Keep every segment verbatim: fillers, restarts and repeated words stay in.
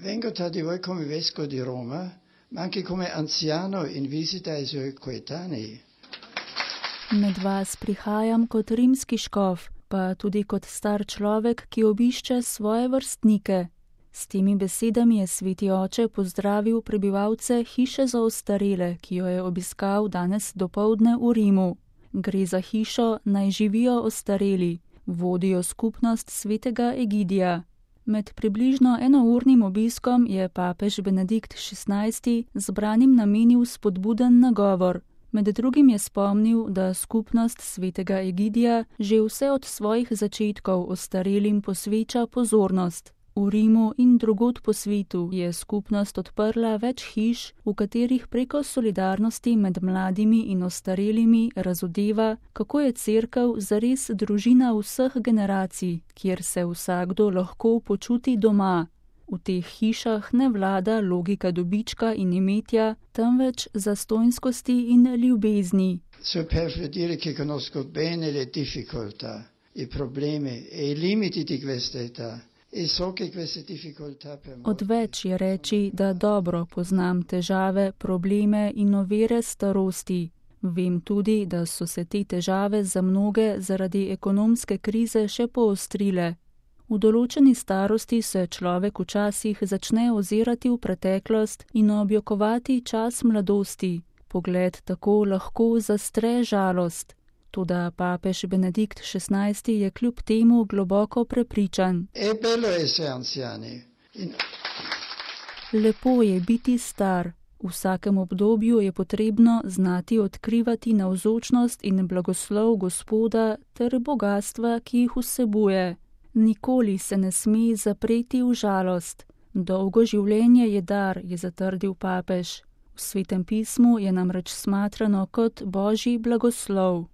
Vengo tra di voi come vescovo di Roma, ma anche come anziano in visita ai suoi coetanei. Med vas prihajam kot rimski škof, pa tudi kot star človek, ki obišče svoje vrstnike. S temi besedami je sveti oče pozdravil prebivalce hiše za ostarele, ki jo je obiskal danes dopoldne v Rimu. Gre za hišo Naj živijo ostareli, vodijo skupnost svetega Egidija. Med približno enournim obiskom je papež Benedikt šestnajsti zbranim namenil spodbuden nagovor. Med drugim je spomnil, da skupnost svetega Egidija že vse od svojih začetkov ostarelim posveča pozornost. V Rimu in drugod po svetu je skupnost odprla več hiš, v katerih preko solidarnosti med mladimi in ostarelimi razodeva, kako je cerkev zares družina vseh generacij, kjer se vsakdo lahko počuti doma. V teh hišah ne vlada logika dobička in imetja, temveč zastonjskosti in ljubezni. So per dire che conosco bene le difficoltà, i problemi e i limiti di questa età. Odveč je reči, da dobro poznam težave, probleme in ovire starosti. Vem tudi, da so se te težave za mnoge zaradi ekonomske krize še poostrile. V določeni starosti se človek včasih začne ozirati v preteklost in objokovati čas mladosti. Pogled tako lahko zastre žalost. Toda papež Benedikt šestnajsti je kljub temu globoko prepričan. Lepo je biti star. V vsakem obdobju je potrebno znati odkrivati navzočnost in blagoslov Gospoda ter bogatstva, ki jih vsebuje. Nikoli se ne sme zapreti v žalost. Dolgo življenje je dar, je zatrdil papež. V Svetem pismu je namreč smatrano kot božji blagoslov.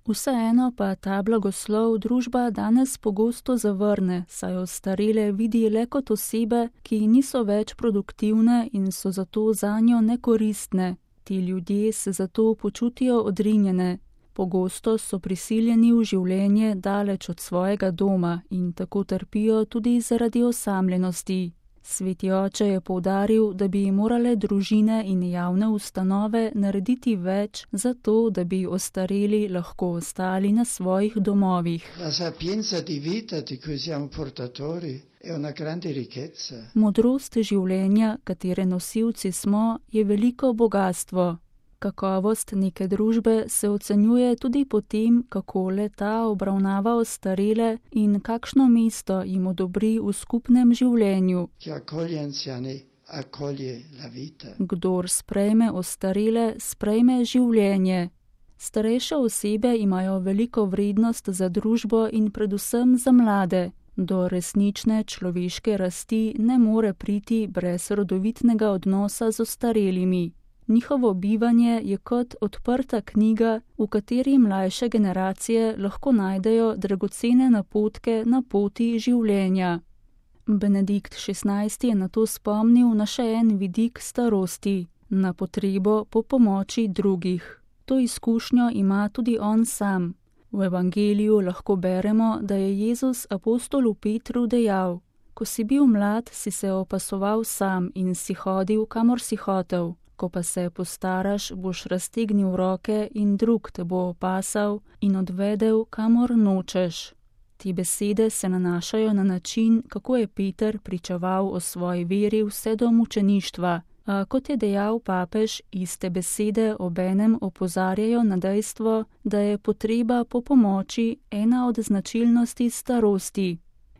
Vseeno pa ta blagoslov družba danes pogosto zavrne, saj ostarele vidi le kot osebe, ki niso več produktivne in so zato zanjo nekoristne. Ti ljudje se zato počutijo odrinjene. Pogosto so prisiljeni v življenje daleč od svojega doma in tako trpijo tudi zaradi osamljenosti. Sveti oče je poudaril, da bi morale družine in javne ustanove narediti več za to, da bi ostareli lahko ostali na svojih domovih. Modrost življenja, katere nosilci smo, je veliko bogastvo. Kakovost neke družbe se ocenjuje tudi po tem, kako le-ta obravnava ostarele in kakšno mesto jim odobri v skupnem življenju. Kdor sprejme ostarele, sprejme življenje. Starejše osebe imajo veliko vrednost za družbo in predvsem za mlade. Do resnične človeške rasti ne more priti brez rodovitnega odnosa z ostarelimi. Njihovo bivanje je kot odprta knjiga, v kateri mlajše generacije lahko najdejo dragocene napotke na poti življenja. Benedikt šestnajsti je nato spomnil na še en vidik starosti, na potrebo po pomoči drugih. To izkušnjo ima tudi on sam. V evangeliju lahko beremo, da je Jezus apostolu Petru dejal: Ko si bil mlad, si se opasoval sam in si hodil, kamor si hotel. Ko pa se postaraš, boš raztegnil roke in drug te bo opasal in odvedel, kamor nočeš. Te besede se nanašajo na način, kako je Peter pričeval o svoji veri vse do mučeništva. A kot je dejal papež, iste besede obenem opozarjajo na dejstvo, da je potreba po pomoči ena od značilnosti starosti.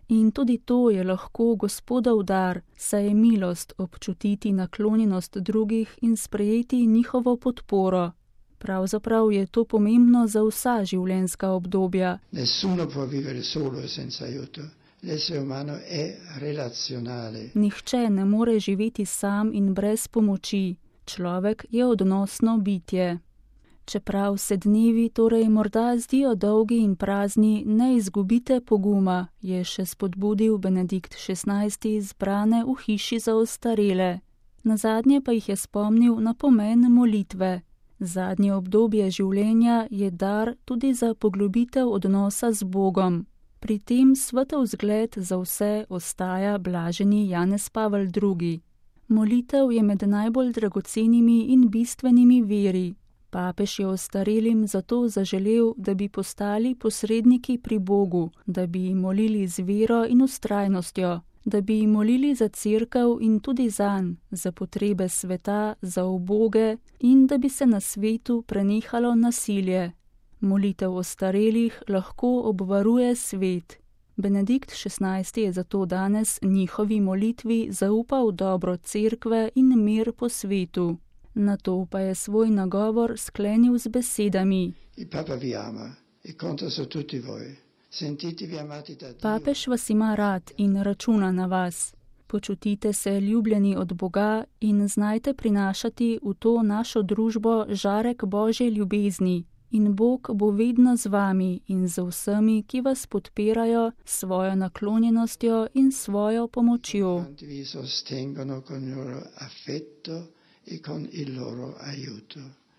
In tudi to je lahko Gospodov dar, saj je milost občutiti naklonjenost drugih in sprejeti njihovo podporo. Pravzaprav je to pomembno za vsa življenjska obdobja. Nihče ne more živeti sam in brez pomoči. Človek je odnosno bitje. Čeprav se dnevi torej morda zdijo dolgi in prazni, ne izgubite poguma, je še spodbudil Benedikt šestnajsti zbrane v hiši za ostarele. Nazadnje pa jih je spomnil na pomen molitve. Zadnje obdobje življenja je dar tudi za poglobitev odnosa z Bogom. Pri tem svetov zgled za vse ostaja blaženi Janez Pavel drugi. Molitev je med najbolj dragocenimi in bistvenimi viri. Papež je ostarelim zato zaželel, da bi postali posredniki pri Bogu, da bi jim molili z vero in vztrajnostjo, da bi jim molili za cerkev in tudi zanj, za potrebe sveta, za uboge in da bi se na svetu prenehalo nasilje. Molitev ostarelih lahko obvaruje svet. Benedikt šestnajsti je zato danes njihovi molitvi zaupal dobro cerkve in mir po svetu. Nato pa je svoj nagovor sklenil z besedami: Papež vas ima rad in računa na vas. Počutite se ljubljeni od Boga in znajte prinašati v to našo družbo žarek Božje ljubezni. In Bog bo vedno z vami in z vsemi, ki vas podpirajo s svojo naklonjenostjo in svojo pomočjo. E con il loro aiuto.